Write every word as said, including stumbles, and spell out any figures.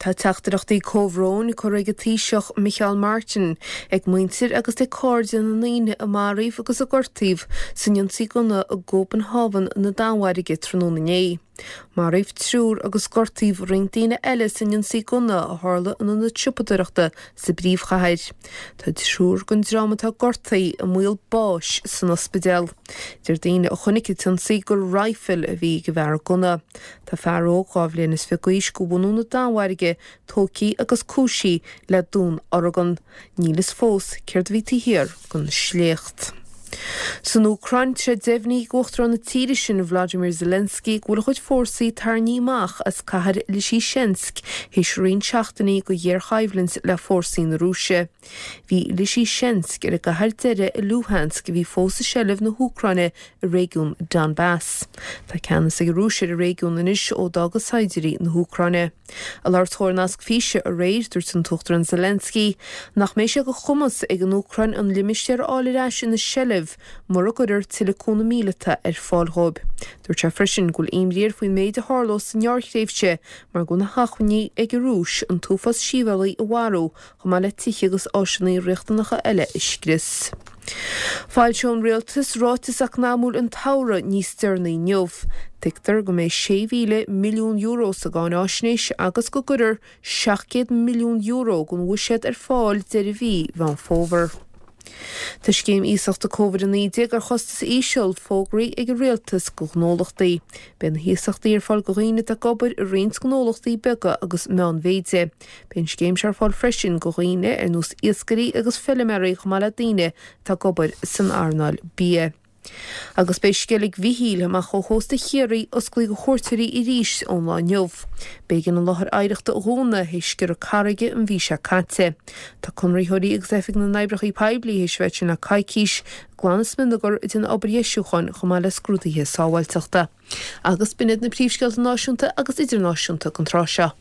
Tá teachtaireachtaí comhbhróin curtha ag an Taoiseach Micheál Martin ag muintir agus ag cairde na ndaoine a maraíodh agus a gortaíodh san ionsaí gunna i gCóbanhávan na Danmhairge tráthnóna inné. Maraíodh triúr agus gortaíodh roinnt daoine eile san ionsaí gunna a tharla in ionad siopadóireachta sa bpríomhchathair. Tá triúr den dream atá gortaithe i mbaol báis san ospidéal. Deir daoine a chonaic an t-ionsaí gur raidhfil a bhí ag an bhfear gunna. Tá fear óg dhá bhliain is fiche d'aois de bhunadh na Danmhairge tógtha agus cúisithe le dúnorgain. Níl a fhios fós céard a bhí taobh thiar den sléacht. San Úcráin tá sé deimhnithe ag Uachtarán na tíre sin Vladimir Zelensky go bhfuil a chuid fórsaí tarraingthe amach as cathair Lysychansk théis roinnt seachtainí de ghéarchoimhlint le fórsaí na Rúise. Bhí Lysychansk ar an gcathair deiridh i Luhansk a bhí fós i seilbh na hÚcráine i réigiún Donbass. Tá ceannas ag an Rúis ar an réigiún anois ó d'fhág saighdiúirí na hÚcráine. Ag labhairt dó ar nasc físe aréir dúirt an tUachtarán Zelensky nach mbeidh sé de chumas ag an Úcráin an limistéar a fháil ar ais ina seilbh mura gcuirtear tuilleadh cúnamh míleata ar fáil dóibh. Dúirt sé freisin go bhfuil imní air faoin méid a tharlódh sa ngearrthréimhse mar go bhfuil na hacmhainní ag an Rúis an t-uafás sibhialtach a mharú chomh maith le tithe agus áiseanna riachtanacha eile a scrios. Foilseoidh an rialtas ráiteas eacnamúil an tsamhraidh níos deireanaí inniu. Tuigtear go mbeidh sé mhíle milliún euro sa gcáinaisnéis agus go gcuirfear seacht gcéad milliún euro den bhuiséad ar fáil deireadh mhí Mheán Fómhair. Tá scéim iasachta Covid a naoi déag ar chostas íseal fógraithe ag an rialtas do ghnólachtaí. Beidh na hiasachtaí ar fáil do dhaoine atá ag obair i roinnt gnólachtaí beaga agus meánmhéide. Beidh an scéim seo ar fáil freisin do dhaoine ar nós iascairí agus feilméaraí chomh maith le daoine atá ag obair san earnáil bia. Agus beidh Sceilg Mhichíl amach ó chósta Chiarraí oscailte do chuairteoirí arís ón lá inniu. B'éigean an láthair oidhreachta a dhúnadh théis sciorradh carraige an mhí seo caite. Tá conraitheoirí agus oifig na n-oibreacha poiblí théis bheith ansin le coicís ag glanadh smionagar ag déanamh obair dheisiúcháin chomh maith le scrúduithe sábháilteachta. Agus b'in iad na príomhscéalta náisiúnta agus idirnáisiúnta don tráth seo.